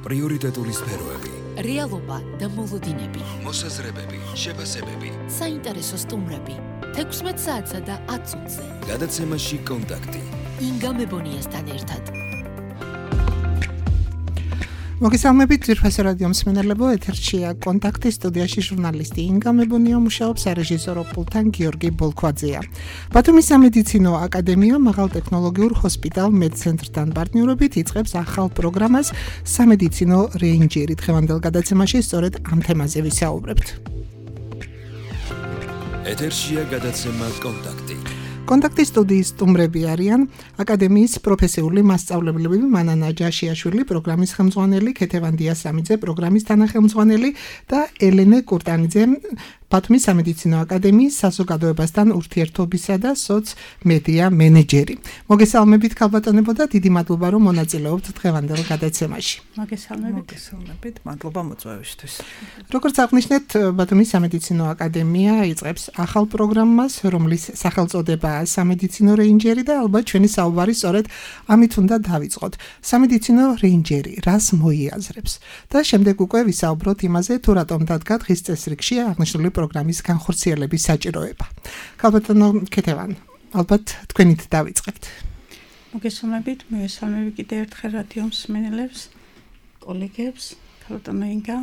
პრიორიტეტული სფეროები, რეალობა და მოლოდინები, მოსაზრებები, შეფასებები, საინტერესო სტუმრები, 16 საათსა და 10 წუთზე. გადაცემაში კონტაქტი. ინგა მებონიასთან ერთად. მოგესალმებით ძვირფასო რადიო მსმენელებო, ეთერშია კონტაქტი, სტუდიაში ჟურნალისტი ინგა მებონია მუშაობს, სარეჟისორო პულტთან გიორგი ბოლქვაძეა. ბათუმის სამედიცინო აკადემია მაღალტექნოლოგიურ ჰოსპიტალ მედცენტრთან პარტნიორობით იწყებს ახალ პროგრამას სამედიცინო რეინჯერი. დღევანდელ გადაცემაში სწორედ ამ თემაზე ვისაუბრებთ. ეთერშია გადაცემა კონტაქტი. კონტაქტის სტუდიის სტუმრები არიან აკადემიის პროფესიული მასწავლებლები მანანა ჯაშიაშვილი, პროგრამის ხელმძღვანელი, ქეთევან დიასამიძე, პროგრამის თანახელმძღვანელი და ელენე კურტანიძე, ბათუმის სამედიცინო აკადემიის საზოგადოებასთან ურთიერთობისა და სოცმედია მენეჯერი. მოგესალმებით ქალბატონებო და დიდი მადლობა რომ მონაწილეობთ დღევანდელ გადაცემაში. მოგესალმებით, მადლობა მოწვევისთვის. როგორც აღნიშნეთ, ბათუმის სამედიცინო აკადემია იწყებს ახალ პროგრამას, რომლის სახელწოდებაა სამედიცინო რეინჯერი და ალბათ ჩვენი საუბარი სწორედ ამით უნდა დავიწყოთ. სამედიცინო რეინჯერი რას მოიაზრებს? და შემდეგ უკვე ვისაუბროთ იმაზე, თუ რატომ დადგა დღის წესრიგში აღნიშნული პროგრამის განხორციელების საჭიროება. ქალბატონო ქეთევან, ალბათ თქვენით დავიწყებთ. მოგესალმებით, მივესალმები კიდევ ერთხელ რადიო მსმენელებს, კოლეგებს, ქალბატონო ინგა.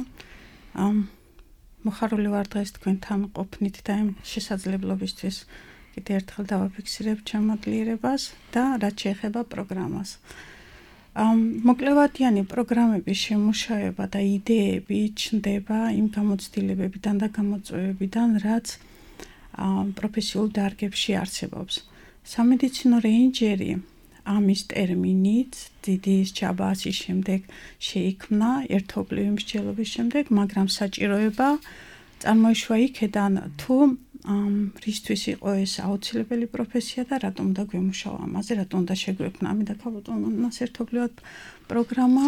მოხარული ვარ დღეს თქვენთან ყოფნით და ამ შესაძლებლობისთვის კიდევ ერთხელ დავაფიქსირებ ჩამოკლიერებას და რაც შეეხება პროგრამას. მოკლევადიანი პროგრამების შემუშავება და იდეები ჩნდება იმ გამოცდილებებიდან და გამოწვევებიდან, რაც პროფესიულ დარგებში არსებობს. სამედიცინო რეინჯერი ამის ტერმინით დიდი ჯაბასის შემდეგ შეიქმნა ერთობლივი მსჯელობის შემდეგ, მაგრამ საჭიროება წარმოიშვა იქედან, თუ რისთვის იყო ეს აუცილებელი პროფესია და რატომ უნდა გვემუშავა ამაზე, რატომ უნდა შეგვექმნა ამიდა ქალბატონს ერთობლივად პროგრამა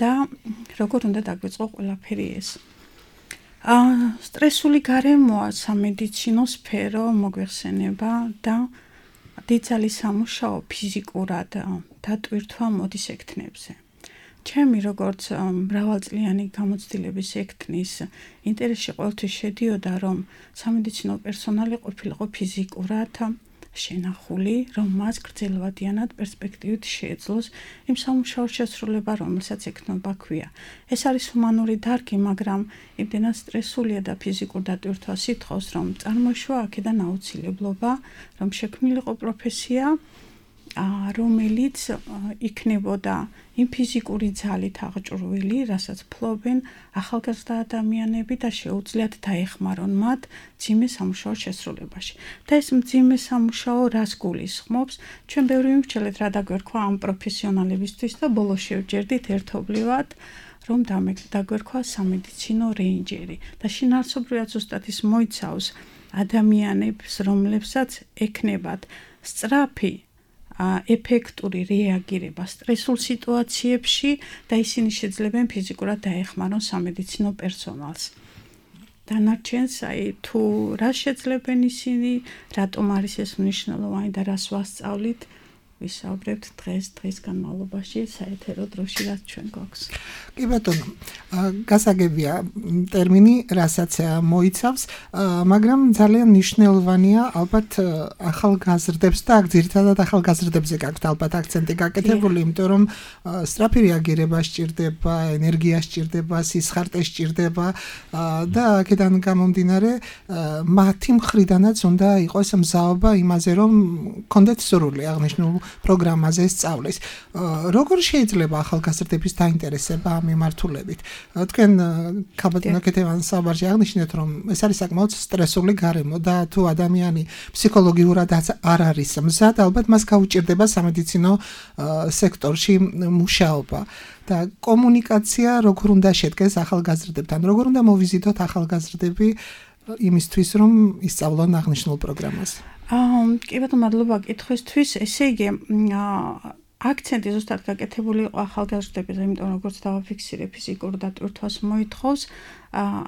და როგორ უნდა დაგვიწყო ყველაფერი ეს. სტრესული გარემოა სამედიცინო სფერო მოგვეხსენება და დიდძალი სამუშაო ფიზიკურად დატვირთვა მოდის ექთნებზე. ჩემი როგორც მრავალწლიანი გამოცდილების ექთნის ინტერესში ყოველთვის შედიოდა, რომ სამედიცინო პერსონალი ყოფილიყო ფიზიკურად შენახული, რომ მას გრძელვადიანად პერსპექტივით შეეძლოს იმ სამუშაოს შესრულება, რომელსაც ექთნობა ქვია. ეს არის ჰუმანური დარგი, მაგრამ იმდენად სტრესულია და ფიზიკურ დატვირთვას ითხოვს, რომ წარმოიშვა აქედან აუცილებლობა, რომ შექმნილიყო პროფესია, რომელიც იქნებოდა იმ ფიზიკური ძალით აღჭურვილი, რასაც ფლობენ ახალგაზრდა ადამიანები და შეუძლიათ დაეხმარონ მათ მძიმე სამუშაოს შესრულებაში. და ეს მძიმე სამუშაო რას გულისხმობს? ჩვენ ბევრი ვიმსჯელეთ რა დაგვერქვა ამ პროფესიონალებისთვის და ბოლოს შევჯერდით ერთობლივად, რომ დაგვერქვა სამედიცინო რეინჯერი და შინაარსობრივად ზუსტად ის მოიცავს ადამიანებს, რომლებსაც ექნებათ სწრაფი ეფექტური რეაგირება სტრესულ სიტუაციებში და ისინი შეძლებენ ფიზიკურად დაეხმარონ სამედიცინო პერსონალს. დანარჩენს, თუ რას შეძლებენ ისინი, რატომ არის ეს მნიშვნელოვანი და რას ვასწავლით, ვისაუბრებთ დღის განმავლობაში საეთერო დროში, რაც ჩვენ გვაქვს. კი ბატონო, გასაგებია ტერმინი, რასაც მოიცავს, მაგრამ ძალიან მნიშვნელოვანია ალბათ ახალგაზრდებს და ძირითადად ახალგაზრდებზე გაქვთ ალბათ აქცენტი გაკეთებული, იმიტომ რომ სწრაფი რეაგირება სჭირდება, ენერგია სჭირდება, სისხარტე სჭირდება და აქედან გამომდინარე მათი მხრიდანაც უნდა იყოს მზაობა იმაზე, რომ კონდეთ სურვილი აღნიშნულ პროგრამაზე სწავლის. როგორ შეიძლება ახალგაზრდების დაინტერესება ამ მიმართულებით? თქვენ ქალბატონო ქეთევან საუბარში აღნიშნეთ, რომ ეს არის საკმაოდ სტრესული გარემო და თუ ადამიანი ფსიქოლოგიურად არ არის მზად, ალბათ მას გაუჭირდება სამედიცინო სექტორში მუშაობა. და კომუნიკაცია როგორ უნდა შედგეს ახალგაზრდებთან, როგორ უნდა მოვიზიტოთ ახალგაზრდები იმისთვის, რომ ისწავლონ აღნიშნულ პროგრამას? კი ბატონო, მადლობა კითხვისთვის. ესე იგი, აქცენტი ზუსტად გაკეთებული იყო ახალგაზრდებზე, იმიტომ რომ როგორც დავაფიქსირე, ფიზიკურ დატვირთვას მოითხოვს.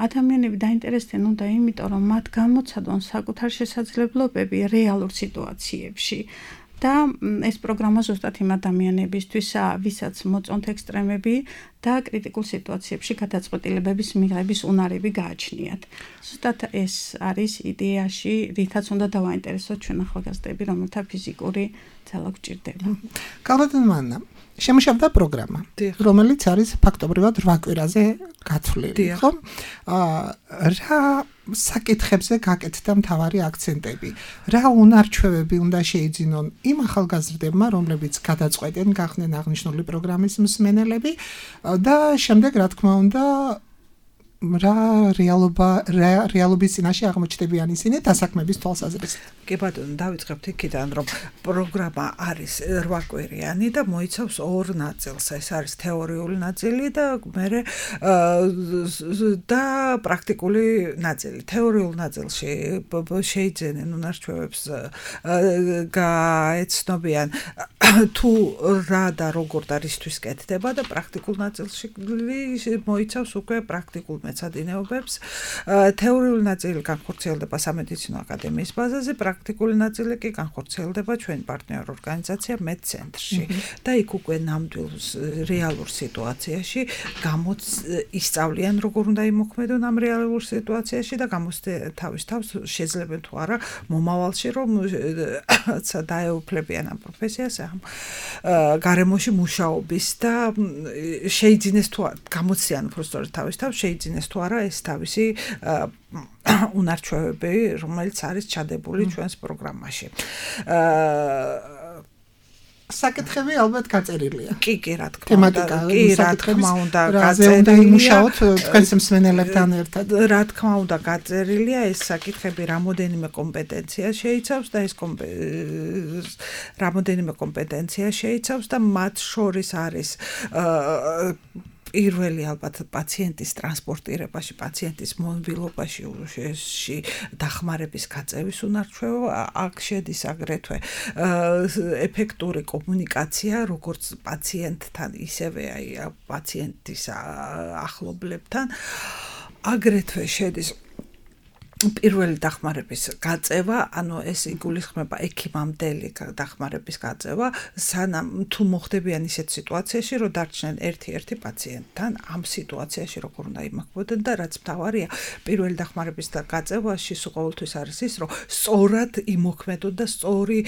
ადამიანები დაინტერესდნენ უნდა იმიტომ, რომ მათ გამოცადონ საკუთარ შესაძლებლობები რეალურ სიტუაციებში და ეს პროგრამა ზუსტად იმ ადამიანებისთვისა, ვისაც მოწონთ ექსტრემები და კრიტიკულ სიტუაციებში გადაწყვეტილებების მიღების უნარები გააჩნიათ. ზუსტად ეს არის იდეაში, რითაც უნდა დავაინტერესოთ ჩვენ ახალგაზრდები, რომელთა ფიზიკური ძალა გვჭირდება. კალბატონმა შემუშავდა პროგრამა, რომელიც არის ფაქტობრივად 8 კვირაზე გათვლილი, ხო? რა საკითხებზე გაკეთდა მთავარი აქცენტები? რა უნარჩვევები უნდა შეიძინონ იმ ახალგაზრდებმა, რომლებიც გადაწყვეტენ გახდნენ აღნიშნული პროგრამის მსმენელები და შემდეგ, რა თქმა უნდა, რა რეალობის წინაშე აღმოჩნდებიან ისინი დასაქმების თვალსაზრისით. კი ბატონო, დავიწყებთ იქიდან, რომ პროგრამა არის 8 კვირიანი და მოიცავს 2 ნაწილს. ეს არის თეორიული ნაწილი და მერე და პრაქტიკული ნაწილი. თეორიულ ნაწილში შეიძენენ უნარჩვევებს გაეცნობიან თუ რა და როგორ და რისთვის კეთდება და პრაქტიკულ ნაწილში მოიცავს უკვე პრაქტიკულ მეცადინეობებს. თეორიული ნაწილი განხორციელდება სამედიცინო აკადემიის ბაზაზე, პრაქტიკული ნაწილი კი განხორციელდება ჩვენი პარტნიორ ორგანიზაცია მედცენტრში და იქ უკვე ნამდვილ რეალურ სიტუაციაში ისწავლიან როგორ უნდა იმოქმედონ ამ რეალურ სიტუაციაში და თავის თავს შეძლებენ თუ არა მომავალში რომ დაეუფლებიან ამ პროფესიას ამ გარემოში მუშაობის და შეიძინეს თუ არა გამოცდიან უბრალოდ თავის თავს შეიძინეს თუ არა ეს თავისი უნარჩვევები, რომელიც არის ჩადებული ჩვენს პროგრამაში. საკითხები ალბათ გაწერილია. კი, რა თქმა უნდა. კი, რა თქმა უნდა, გაწერილია. თქვენს მსმენელებთან ერთად. რა თქმა უნდა, გაწერილია ეს საკითხები რამოდენიმე კომპეტენცია შეიცავს და ეს რამოდენიმე კომპეტენცია შეიცავს და მათ შორის არის პირველი ალბათ პაციენტის ტრანსპორტირებაში, პაციენტის მონბილობაში დახმარების გაწევის უნარჩვევა, აქ შედის აგრეთვე ეფექტური კომუნიკაცია, როგორც პაციენტთან, ისევე პაციენტის ახლობლებთან. აგრეთვე შედის პირველი დახმარების გაწევა, ანუ ეს იგულისხმება ექიმამდელი დახმარების გაწევა, სანამ თუ მოხდებიან ისეთ სიტუაციაში, რომ დარჩნენ ერთ-ერთი პაციენტთან, ამ სიტუაციაში როგორ უნდა იმოქმედონ და რაც მთავარია, პირველი დახმარების გაწევაში ყოველთვის არის ის, რომ სწორად იმოქმედონ და სწორი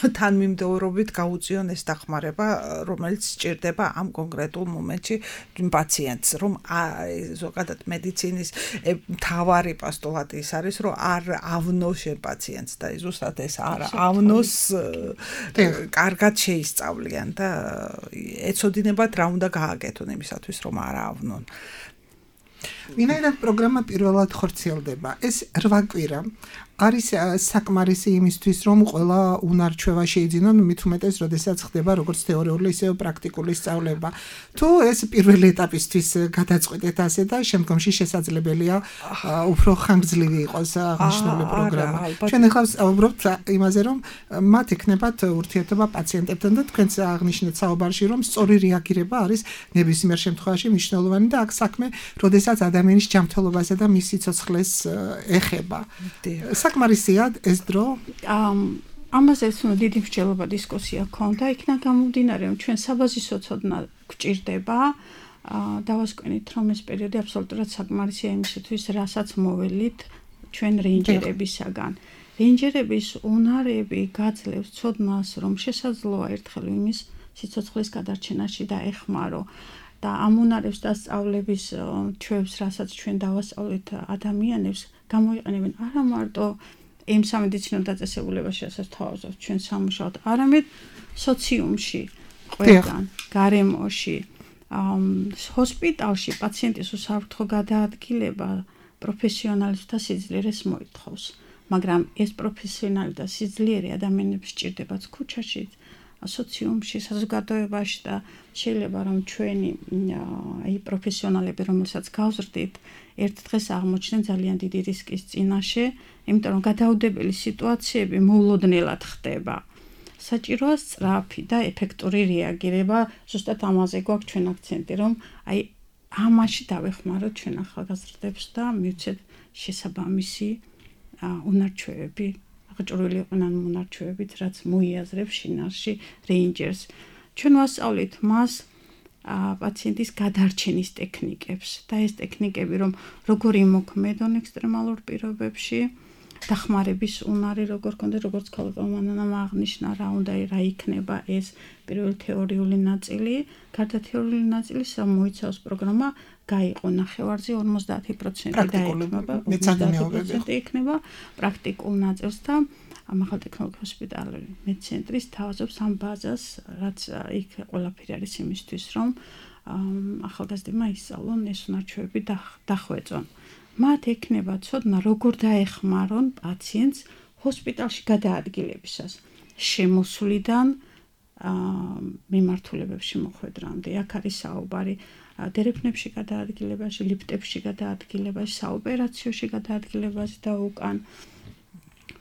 თანმიმდევრობით გაუწიონ ეს დახმარება, რომელიც სჭირდება ამ კონკრეტულ მომენტში პაციენტს, რომ ზოგადად მედიცინის მთავარი პოსტულატი ის არის, რომ არ ავნოს პაციენტს და ზუსტად ეს არ ავნოს კარგად შეისწავლიან და ეცოდინებათ რა უნდა გააკეთონ იმისათვის, რომ არ ავნონ. ვინაიდან პროგრამა პირველად ხორციელდება, ეს 8 კვირა არის საკმარისი იმისთვის, რომ ყველა უნარჩვევა შეიძინონ, მით უმეტეს, როდესაც ხდება როგორც თეორიული, ისე პრაქტიკული სწავლება. თუ ეს პირველი ეტაპისთვის გადაწყვეტეთ ასე და შემდგომში შესაძლებელია უფრო ხანგრძლივი იყოს აღნიშნული პროგრამა. ჩვენ ახლა ვსაუბრობთ იმაზე, რომ მათ ექნებათ ურთიერთობა პაციენტებთან და თქვენც აღნიშნეთ საუბარში, რომ სწორი რეაგირება არის ნებისმიერ შემთხვევაში მნიშვნელოვანი და აქ საქმე, როდესაც ადამიანის ჯანმრთელობასა და მის სიცოცხლეს ეხება. საკმარისია ეს დრო? ამაზე დიდი მსჯელობა დისკუსია ჰქონდა, იქნა გამომდინარე, რომ ჩვენ საბაზისო ცოდნა გვჭირდება. დავასკვენით, რომ ეს პერიოდი აბსოლუტურად საკმარისია იმისათვის, რასაც მოველით ჩვენ რეინჯერებისაგან. რეინჯერების უნარები გაძლევს ცოდნას, რომ შესაძლოა ერთხელ იმის სიცოცხლის გადარჩენაში დაეხმარო. და ამ უნარებს დასწავლების ჩვევს, რასაც ჩვენ დავასწავლეთ ადამიანებს, გამოიყენებენ არა მარტო იმ სამედიცინო დაწესებულებაში, რასაც თავაზობთ ჩვენ სამუშაოდ, არამედ სოციუმში, ყველგან, გარემოში, ჰოსპიტალში პაციენტის უსაფრთხო გადაადგილება პროფესიონალთა სიძლიერეს მოითხოვს, მაგრამ ეს პროფესიონალი და სიძლიერე ადამიანებს სჭირდებათ ქუჩაში, სოციუმში, საზოგადოებაში და შეიძლება რომ ჩვენი პროფესიონალები, რომელსაც გავზრდით, ერთ დღეს აღმოჩნდნენ ძალიან დიდი რისკის წინაშე, იმიტომ რომ გადაუდებელი სიტუაციები მოულოდნელად ხდება. საჭიროა სწრაფი და ეფექტური რეაგირება, ზუსტად ამაზე გვაქვს ჩვენ აქცენტი, რომ ამაში დავეხმაროთ ჩვენ ახალგაზრდებს და მივცეთ შესაბამისი უნარჩვევები აღჭურვილი იყვნენ მონარჩევებით, რაც მოიაზრებს შინაარსში რეინჯერს. ჩვენ ვასწავლით მას პაციენტის გადარჩენის ტექნიკებს და ეს ტექნიკები რომ როგორ იმოქმედონ ექსტრემალურ პირობებში, დახმარების უნარი როგორ ქონდეს, როგორც ქალბატონმა აღნიშნა, რა იქნება ეს პირველი თეორიული ნაწილი, გარდა თეორიული ნაწილის მოიცავს პროგრამა გაიყო ნახევარზე 50% დაეთმობა, 50% იქნება პრაქტიკულ ნაწილს და ამაღალ ტექნოლოგიურ ჰოსპიტალური მედცენტრის თავაზობს ამ ბაზას, რაც იქ ყველაფერი არის იმისთვის, რომ ახალგაზრდებმა ისწავლონ ეს უნარჩვევები დახვეწონ. მათ ექნება ცოდნა როგორ დაეხმარონ პაციენტს ჰოსპიტალში გადაადგილებისას შემოსვლიდან მიმართულებებში მოხვედრამდე. აქ არის საუბარი დერეფნებში გადაადგილებაში, ლიფტებში გადაადგილებაში, საოპერაციოში გადაადგილებაში და უკან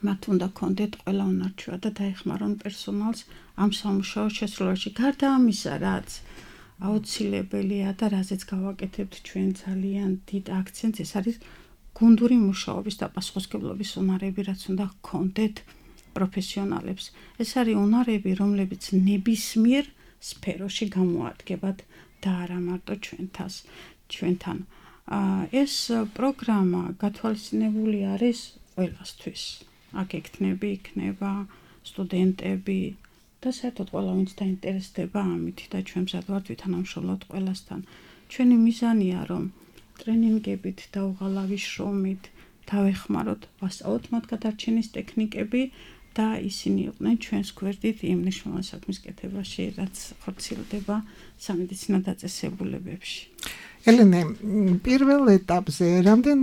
მათ უნდა კონდეთ ყველა უნარჩვევა და დაეხმარონ პერსონალს ამ სამუშაო შესრულებაში. გარდა ამისა, რაც აუცილებელია და რაზეც გავაკეთებთ ჩვენ ძალიან დიდ აქცენტს, ეს არის გუნდური მუშაობის და პასუხისმგებლობის უნარები, რაც უნდა გქონდეთ პროფესიონალებს. ეს არის უნარები, რომლებიც ნებისმიერ სფეროში გამოადგებათ და არა მარტო ჩვენთან. ეს პროგრამა გათვალისწინებული არის ყველასთვის. აქ იქნება სტუდენტები და საერთოდ ყველა ვინც დაინტერესდება ამით და ჩვენ მზად ვართ ვითანამშრომლოთ ყველასთან. ჩვენი მიზანია რომ ტრენინგებით და უღალავი შრომით დავეხმაროთ, ვასწავლოთ მათ გადარჩენის ტექნიკები და ისინი იყვნენ ჩვენს გვერდით იმ მნიშვნელოვანი საქმის კეთებაში, რაც ხორციელდება სამედიცინო დაწესებულებებში. ელენე, პირველ ეტაპზე რამდენ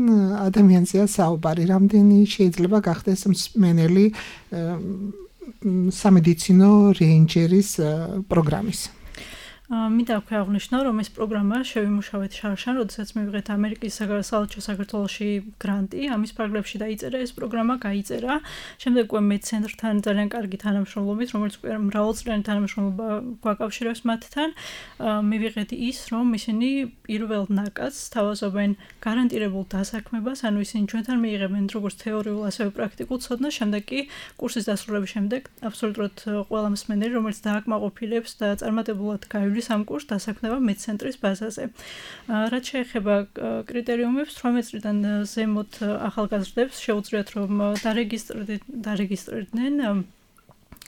ადამიანზეა საუბარი, რამდენი შეიძლება გახდეს მსმენელი სამედიცინო რეინჯერის პროგრამის? მინდა აქვე აღნიშნო, რომ ეს პროგრამა შევიმუშავეთ შარშან, როდესაც მივიღეთ ამერიკის საელჩო საქართველოში გრანტი, ამის ფარგლებში დაიწერა ეს პროგრამა, გაიწერა. შემდეგ უკვე მედცენტრთან ძალიან კარგი თანამშრომლობით, რომელიც უკვე მრავალწლიანი თანამშრომლობა გვაკავშირებს მათთან, მივიღეთ ის, რომ ისინი პირველ ნაკადს თავაზობენ გარანტირებულ დასაქმებას, ანუ ისინი ჩვენთან მიიღებენ როგორც თეორიულ, ასევე პრაქტიკულ ცოდნას, შემდეგ კი კურსის დასრულების შემდეგ აბსოლუტურად ყველა მსმენელი, რომელიც დააკმაყოფილებს და წარმატებულად გაივლის ამ კურსს დასაქმება მედცენტრის ბაზაზე. რაც შეეხება კრიტერიუმებს, 18 წლიდან ზემოთ ახალგაზრდებს შეუძლიათ რომ დარეგისტრირდნენ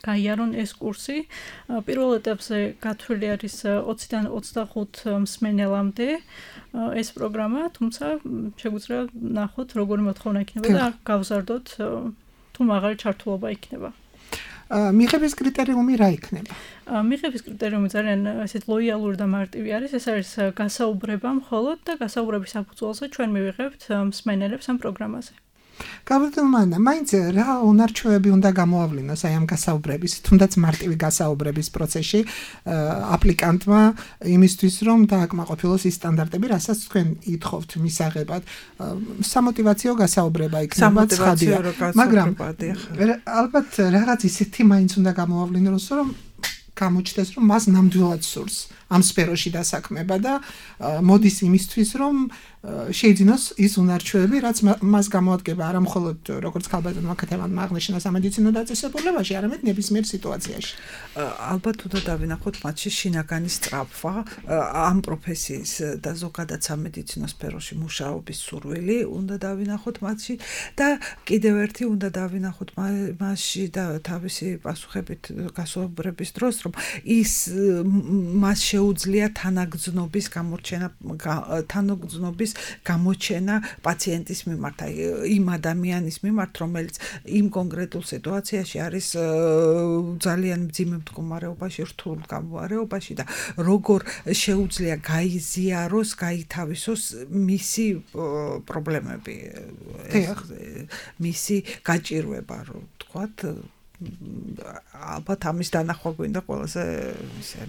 გაიარონ ეს კურსი. პირველ ეტაპზე გათვლილი არის 20-დან 25 მსმენელამდე ეს პროგრამა, თუმცა შეგვიძლია ნახოთ როგორი მოთხოვნა იქნება და გავზარდოთ თუ მაღალი ჩართულობა იქნება. მიღების კრიტერიუმი რა იქნება? მიღების კრიტერიუმი ძალიან ესეთ ლოიალური და მარტივი არის. ეს არის გასაუბრება მხოლოდ და გასაუბრების საფუძველზე ჩვენ მივიღებთ მსმენელებს ამ პროგრამაზე. გაბატონო, მაინც რა უნარჩვევები უნდა გამოავლინოს აი ამ გასაუბრების, თუნდაც მარტივი გასაუბრების პროცესში აპლიკანტმა იმისთვის, რომ დააკმაყოფილოს ის სტანდარტები, რასაც თქვენ ითხოვთ მისაღებად. სამოტივაციო გასაუბრება იქნება ცხადია, მაგრამ ალბათ რაღაც ისეთი მაინც უნდა გამოავლინოს, რომ გამოჩნდეს, რომ მას ნამდვილად სურს ამ სფეროში დასაქმება და მოდის იმისთვის, რომ შეიძინოს ის უნარჩვევები, რაც მას გამოადგება არა მხოლოდ როგორც ქალბატონმა ქეთევანმა აღნიშნა სამედიცინო დაწესებულებაში, არამედ ნებისმიერ სიტუაციაში. ალბათ უნდა დავინახოთ მათში შინაგანი სწრაფვა, ამ პროფესიის და ზოგადად სამედიცინო სფეროში მუშაობის სურვილი უნდა დავინახოთ მათში და კიდევ ერთი უნდა დავინახოთ მასში და თავისი პასუხებით გასაუბრების დროს, რომ ის მას შეუძლია თანაგრძნობის გამოჩენა პაციენტის მიმართ, იმ ადამიანის მიმართ, რომელიც იმ კონკრეტულ სიტუაციაში არის ძალიან მძიმე მდგომარეობაში, რთულ მდგომარეობაში და როგორ შეუძლია გაიზიაროს, გაითავისოს მისი პრობლემები, მისი გაჭირვება, რო ვთქვათ, ალბათ ამის დანახვა გვინდა ყველაზე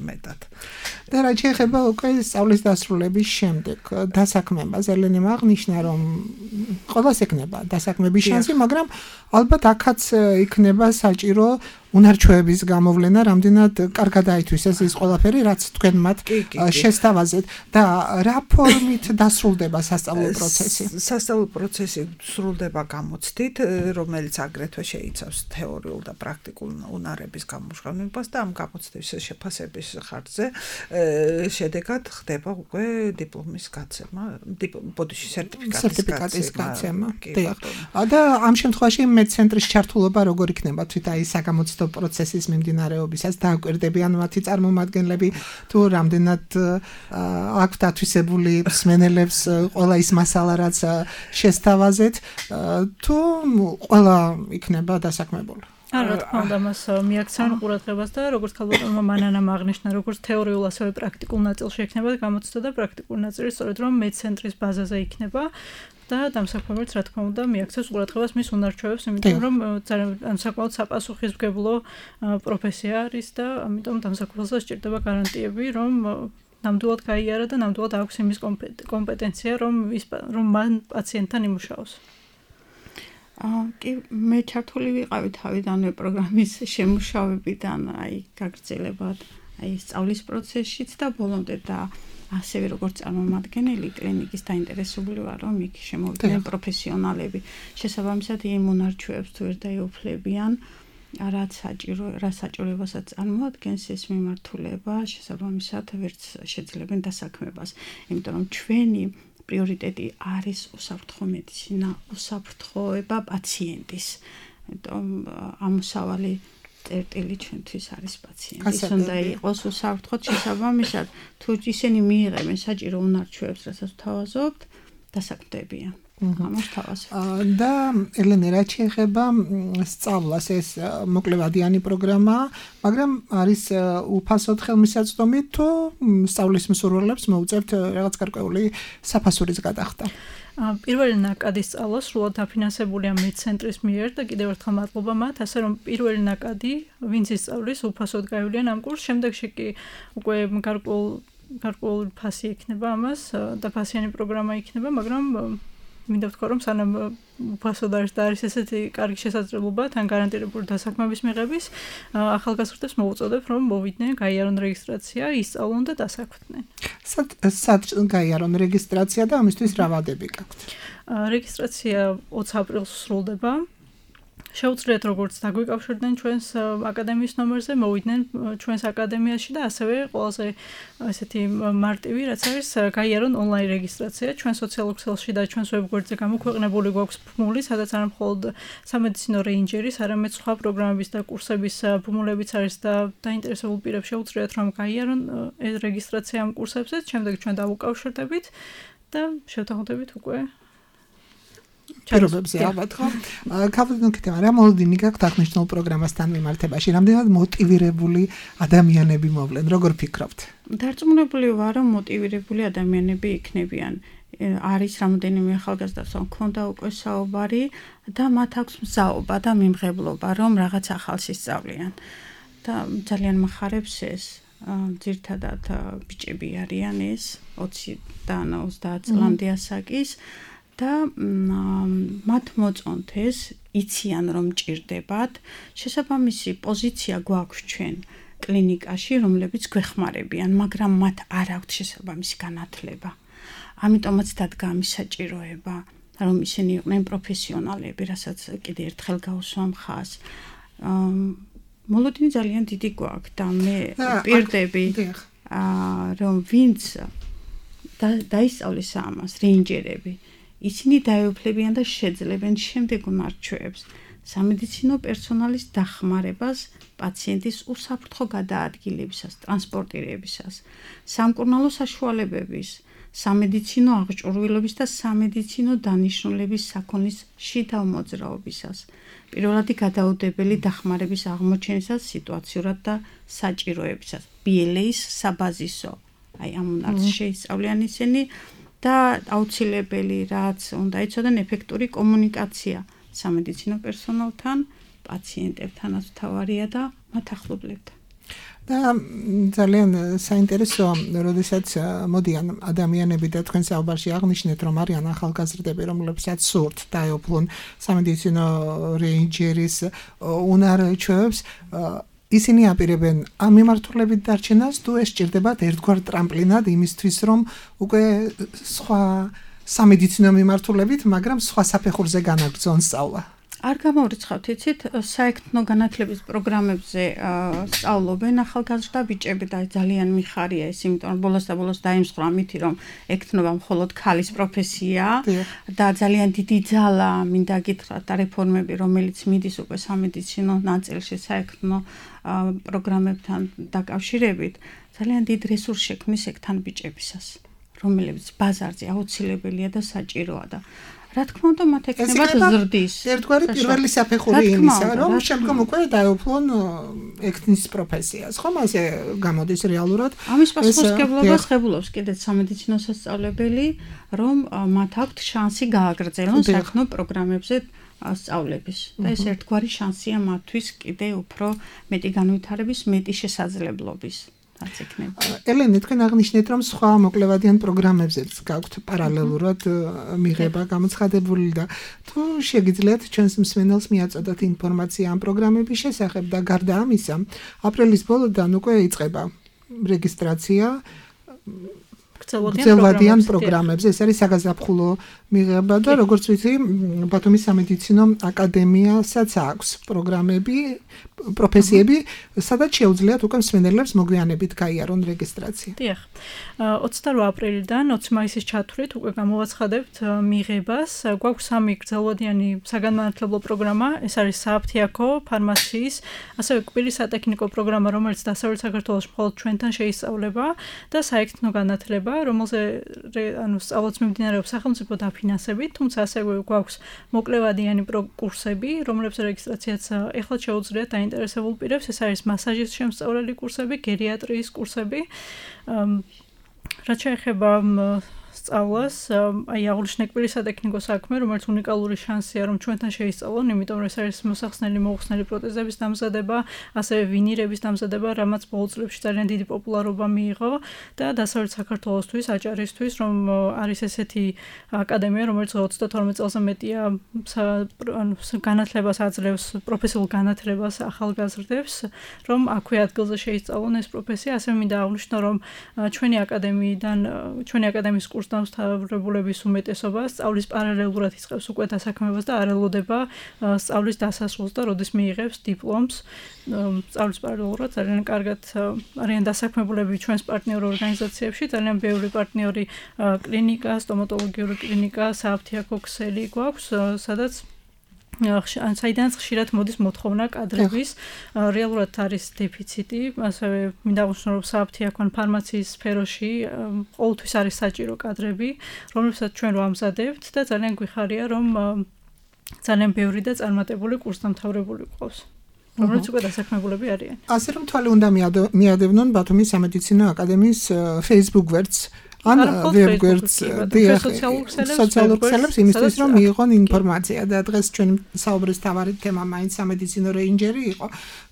მეტად. და რა შეეხება უკვე სწავლის დასრულების შემდეგ დასაქმებას, ელენემ აღნიშნა, რომ ყველას ექნება დასაქმების შანსი, მაგრამ ალბათ აქაც იქნება საჭირო უნარჩვევების გამოვლენა რამდენად კარგად აითვისეს ის ყველაფერი, რაც თქვენ მათ შესთავაზეთ და რა ფორმით დასრულდება სასწავლო პროცესი? სასწავლო პროცესი სრულდება გამოცდით, რომელიც აგრეთვე შეიცავს თეორიულ და პრაქტიკულ უნარების გამჟღავნებას და ამ გამოცდის შეფასების ხარჯზე შედეგად ხდება უკვე დიპლომის გაცემა, სერტიფიკატის გაცემა. და ამ შემთხვევაში მეცენტრის ჩართულობა როგორ იქნება თვით აი საგამოცდო პროცესის მიმდინარეობისას დააკვირდებიან მათი წარმომადგენლები თუ რამდენად აქვთ ათვისებული მსმენელებს ყველა ის მასალა რაც შესთავაზეთ თუ ყველა იქნება დასაქმებული? რა თქმა უნდა, მას მიაქცევენ ყურადღებას და როგორც ქალბატონმა მანანამ აღნიშნა, როგორც თეორიულ ასევე პრაქტიკულ ნაწილში იქნება გამოცდა და პრაქტიკული ნაწილი სწორედ რომ მეცენტრის ბაზაზე იქნება და დამსაქმებელს რა თქმა უნდა მიაქცევს ყურადღებას მის უნარჩვევებს, იმიტომ რომ ძალიან საკმაოდ საპასუხისმგებლო პროფესია არის და ამიტომ დამსაქმებელს სჭირდება გარანტიები, რომ ნამდვილად გაიარა და ნამდვილად აქვს იმის კომპეტენცია, რომ მან პაციენტთან იმუშაოს. კი, მე ჩართული ვიყავი თავიდანვე პროგრამის შემუშავებიდან, გაგრძელებად, სწავლის პროცესშიც და ბოლომდე და ასევე როგორც წარმომადგენელი კლინიკის დაინტერესებული ვარ, რომ იქ შემოვიდნენ პროფესიონალები. შესაბამისად, იმ უნარჩვევებს თუ ვერ დაეუფლებიან, რა საჭიროებასაც წარმოადგენს ეს მიმართულება, შესაბამისად ვერც შეძლებენ დასაქმებას, იმიტომ რომ ჩვენი პრიორიტეტი არის უსაფრთხო მედიცინა, უსაფრთხოება პაციენტის. იმიტომ ამოსავალი წერტილი ჩვენთვის არის პაციენტის, უნდა იყოს უსაფრთხოდ, შესაბამისად თუ ისინი მიიღებენ საჭირო უნარჩვევებს, რასაც ვთავაზობთ, დასაქმდებიან. და ელენე, რაც შეეხება სწავლას, ეს მოკლევადიანი პროგრამაა, მაგრამ არის უფასოდ ხელმისაწვდომი თუ სწავლის მსურველებს მოუწევთ რაღაც გარკვეული საფასურის გადახდა? პირველი ნაკადი სწავლა სრულად დაფინანსებულია მეცენტრის მიერ და კიდევ ერთხელ მადლობა მათ, ასე რომ პირველი ნაკადი, ვინც ისწავლის, უფასოდ გაივლიან ამ კურსს, შემდეგში კი უკვე გარკვეული ფასი იქნება ამას და ფასიანი პროგრამა იქნება, მაგრამ მინდა ვთქვა, რომ სანამ უფასოდ არის და არის ესეთი კარგი შესაძლებლობა თან გარანტირებული დასაქმების მიღების, ახალგაზრდებს მოუწოდებ, რომ მოვიდნენ, გაიარონ რეგისტრაცია, ისწავლონ და დასაქმდნენ. სად გაიარონ რეგისტრაცია და ამისთვის რა ვადები გაქვთ? რეგისტრაცია 20 აპრილს სრულდება. შეუძლიათ როგორც დაგვიკავშირდნენ ჩვენს აკადემიის ნომერზე, მოვიდნენ ჩვენს აკადემიაში და ასევე ყველაზე ესეთი მარტივი, რაც არის გაიარონ ონლაინ რეგისტრაცია ჩვენ სოციალურ ქსელში და ჩვენს ვებგვერდზე გამოქვეყნებული გვაქვს ბმული, სადაც არა მხოლოდ სამედიცინო რეინჯერის, არამედ სხვა პროგრამების და კურსების ბმულებიც არის და დაინტერესებულ პირებს შეუძლიათ რომ გაიარონ რეგისტრაცია ამ კურსებზე, შემდეგ ჩვენ დავუკავშირდებით და შევთანხმდებით უკვე პირობებზე ალბათ ხო? ქალბატონო, რა მოლოდინი გაქვთ აღნიშნულ პროგრამასთან მიმართებაში? რამდენად მოტივირებული ადამიანები მოვლენ? როგორ ფიქრობთ? დარწმუნებული ვარ, რომ მოტივირებული ადამიანები იქნებიან. არის რამოდენიმე ახალგაზრდას, რომ ქონდა უკვე საუბარი და მათ აქვს მზაობა და მიმღებლობა, რომ რაღაც ახალს ისწავლიან. და ძალიან მახარებს ეს. ძირთადად ბიჭები არიან ეს 20-დან 30 წლამდე ასაკის. და მათ მოწონთ ეს, იციან რომ ჭირდებათ, შესაბამისი პოზიცია გვაქვს ჩვენ კლინიკაში, რომლებიც გვეხმარებიან, მაგრამ მათ არ აქვთ შესაბამისი განათლება. ამიტომაც დადგა ამის საჭიროება, რომ ისინი იყვნენ პროფესიონალები, რასაც კიდე ერთხელ გავუსვამ ხაზს. მოლოდინი ძალიან დიდი გვაქვს და მე პირდები, რომ ვინც დაისწავლეს ამას, რეინჯერები, ისინი დაეუფლებიან და შეძლებენ შემდეგ უნარჩვევებს, სამედიცინო პერსონალის დახმარებას პაციენტის უსაფრთხო გადაადგილებისას, ტრანსპორტირებისას, სამკურნალო საშუალებების, სამედიცინო აღჭურვილობის და სამედიცინო დანიშნულების საქონლის შიდა მოძრაობისას, პირველადი გადაუდებელი დახმარების აღმოჩენისას, სიტუაციურად და საჭიროებისას, BLA-ის საბაზისო, ამ უნარს შეისწავლიან ისინი და აუცილებელი რაც უნდა იცოდან ეფექტური კომუნიკაცია სამედიცინო პერსონალთან, პაციენტებთანაც თავარია და მათ ახლობლებთან. და ძალიან საინტერესოა, როდესაც მოდიან ადამიანები და თქვენ საუბარში აღნიშნეთ, რომ არიან ახალგაზრდები, რომლებსაც სურთ დაეუფლონ სამედიცინო რეინჯერის უნარ-ჩვევებს, ისინი აპირებენ ამ მიმართულებით დარჩენას, თუ ეს სჭირდებათ ერთგვარ ტრამპლინად იმისთვის, რომ უკვე სხვა სამედიცინო მიმართულებით, მაგრამ სხვა საფეხურზე განაგრძონ სწავლა. არ გამოვრიცხავთ, იცით, საექთნო განათლების პროგრამებზე სწავლობენ ახალგაზრდა ბიჭები და ძალიან მიხარია ეს, იმიტომ რომ ბოლოს და ბოლოს დაიმსხვრა მითი, რომ ექთნობა მხოლოდ ქალის პროფესია და ძალიან დიდი ძალა მინდა გითხრათ და რეფორმები, რომელიც მიდის უკვე სამედიცინო ნაწილში საექთნო პროგრამებთან დაკავშირებით, ძალიან დიდ რესურს შექმნის ექთან ბიჭებისას, რომლებიც ბაზარზე აუცილებელია და საჭიროა და რა თქმა უნდა, მათ ექნებათ ზრდის. ერთგვარი პირველი საფეხური იმისა, რომ შემდგომ უკვე დაეუფლონ ექთნის პროფესიას. ხომ ასე გამოდის რეალურად? ამის პასუხისმგებლობას ღებულობს კიდეც სამედიცინო სასწავლებელი, რომ მათ აქვთ შანსი გააგრძელონ საექთნო პროგრამებზე სწავლების. და ეს ერთგვარი შანსია მათთვის კიდე უფრო მეტი განვითარების, მეტი შესაძლებლობის. ელენე, თქვენ აღნიშნეთ, რომ სხვა მოკლევადიან პროგრამებზეც გაქვთ პარალელურად მიღება გამოცხადებული და თუ შეგიძლიათ ჩვენს მსმენელს მიაწოდოთ ინფორმაცია ამ პროგრამების შესახებ და გარდა ამისა, აპრილის ბოლოდან უკვე იწყება რეგისტრაცია გრძელვადიან პროგრამებზე. ეს არის საგაზაფხულო მიღება და როგორც ვიცი, ბათუმის სამედიცინო აკადემიასაც აქვს პროგრამები, პროფესიები, სადაც შეუძლიათ უკვე მსმენელებს მოგვიანებით გაიარონ რეგისტრაცია. დიახ. 28 აპრილიდან 20 მაისის ჩათვლით უკვე გამოვაცხადებთ მიღებას. გვაქვს 3 გრძელვადიანი საგანმანათლებლო პროგრამა, ეს არის სააფთიაქო, ფარმაციის, ასევე კბილის სატექნიკო პროგრამა, რომელიც დასავლეთ საქართველოში მხოლოდ ჩვენთან შეისწავლება და საექთნო განათლება, რომელზე სწავლაც მიმდინარეობს სახელმწიფო დაფინანსებით, თუმცა ასევე გვაქვს მოკლევადიანი კურსები, რომლებს რეგისტრაციაც ეხლა შეუძლიათ დაინტერესებულ პირებს, ეს არის მასაჟის შემსწავლელი კურსები, გერიატრიის კურსები. რაც შეეხება სწავლას, აი აღნიშნე კბილის სატექნიკო საქმე, რომელიც უნიკალური შანსია, რომ ჩვენთან შეისწავლონ, იმიტომ რომ ეს არის მოსახსნელი მოუხსნელი პროტეზების დამზადება, ასევე ვინირების დამზადება, რამაც ბოლო წლებში ძალიან დიდი პოპულარობა მიიღო და დასავლეთ საქართველოსთვის, აჭარისთვის, რომ არის ესეთი აკადემია, რომელიც 32 წელზე მეტია განათლებას აძლევს, პროფესიულ განათლებას ახალგაზრდებს, რომ აქვე ადგილზე შეისწავლონ ეს პროფესია, ასევე მინდა აღვნიშნო, რომ ჩვენი აკადემიის კურსი დამსწავლებლების უმეტესობა სწავლის პარალელურად იწყებს უკვე დასაქმებას და არ ელოდება სწავლის დასასრულს და როდის მიიღებს დიპლომს. სწავლის პარალელურად ძალიან კარგად არიან დასაქმებულები ჩვენს პარტნიორ ორგანიზაციებში, ძალიან ბევრი პარტნიორი კლინიკა, სტომატოლოგიური კლინიკა, სააფთიაქო ქსელი გვაქვს, სადაც საიდანაც ხშირად მოდის მოთხოვნა კადრების, რეალურად არის დეფიციტი, ასევე მინდა აღვნიშნო, რომ სააფთიაქო ან ფარმაციის სფეროში ყოველთვის არის საჭირო კადრები, რომლებსაც ჩვენ ვამზადებთ და ძალიან გვიხარია, რომ ძალიან ბევრი და წარმატებული კურსდამთავრებული გვყავს, რომლებიც უკვე დასაქმებულები არიან. ასე რომ თვალი უნდა მიადევნონ ბათუმის სამედიცინო აკადემიის Facebook გვერდს. ან ვებგვერდს სოციალურ ქსელებს იმისთვის, რომ მიიღონ ინფორმაცია და დღეს ჩვენი საუბრის თავარი თემა მაინც სამედიცინო რეინჯერი იყო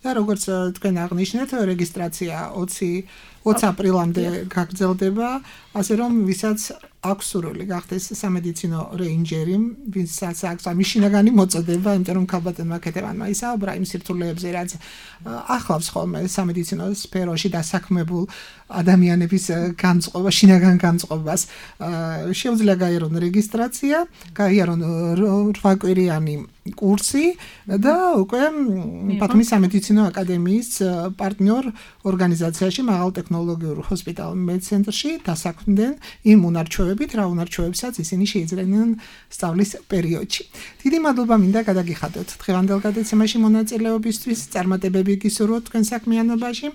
და როგორც თქვენ აღნიშნეთ, რეგისტრაცია 20 აპრილამდე გაგრძელდება, ასე რომ ვისაც აქვს სურვილი გახდეს სამედიცინო რეინჯერი, ვისაც აქვს ამის შინაგანი მოწოდება, იმიტომ რომ ქალბატონმა კეთებანმა ისაუბრა იმ სირთულეებზე, რაც ახლავს ხოლმე სამედიცინო სფეროში დასაქმებულ ადამიანების განწყობა, შინაგან განწყობას. შეუძლია გაიარონ რეგისტრაცია, გაიარონ 8 კვირიანი კურსი და უკვე ბათუმის სამედიცინო აკადემიის პარტნიორ ორგანიზაციაში მაღალ ტექნოლოგიურ ჰოსპიტალ მედცენტრში დასაქმდნენ იმ უნარჩვევებით, რა უნარჩვევებსაც ისინი შეიძლებიან სწავლის პერიოდში. დიდი მადლობა მინდა გადაგიხადოთ დღევანდელ გადაცემაში მონაწილეობისთვის, წარმატებები გისურვოთ თქვენ საქმიანობაში.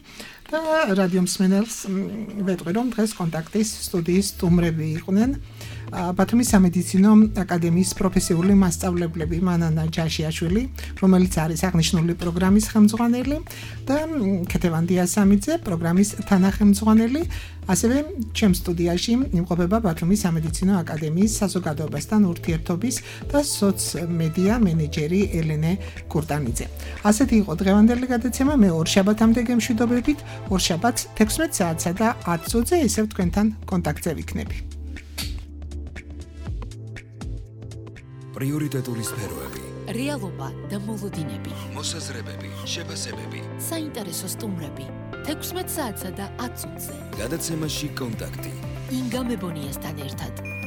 და რადიო მსმენელს ვეტყვი რომ დღეს კონტაქტის სტუდიის სტუმრები იყვნენ ბათუმის სამედიცინო აკადემიის პროფესიული მასწავლებლები მანანა ჯაშიაშვილი, რომელიც არის აღნიშნული პროგრამის ხელმძღვანელი და ქეთევან დიასამიძე, პროგრამის თანახმძღვანელი, ასევე ჩემ სტუდიაში იმყოფება ბათუმის სამედიცინო აკადემიის საზოგადოებასთან ურთიერთობის და სოცმედია მენეჯერი ელენე კურტანიძე. ასეთი იყო დღევანდელი გადაცემა, მე ორშაბათამდე გემშვიდობებით, ორშაბათს 16 საათსა და 10 წუთზე ისევ თქვენთან კონტაქტზე ვიქნები. პრიორიტეტული სფეროები, რეალობა და მოლოდინები, მოსაზრებები, შეფასებები, საინტერესო სტუმრები, 16 საათსა და 10 წუთზე. გადაცემაში კონტაქტი. ინგა მებონიასთან ერთად.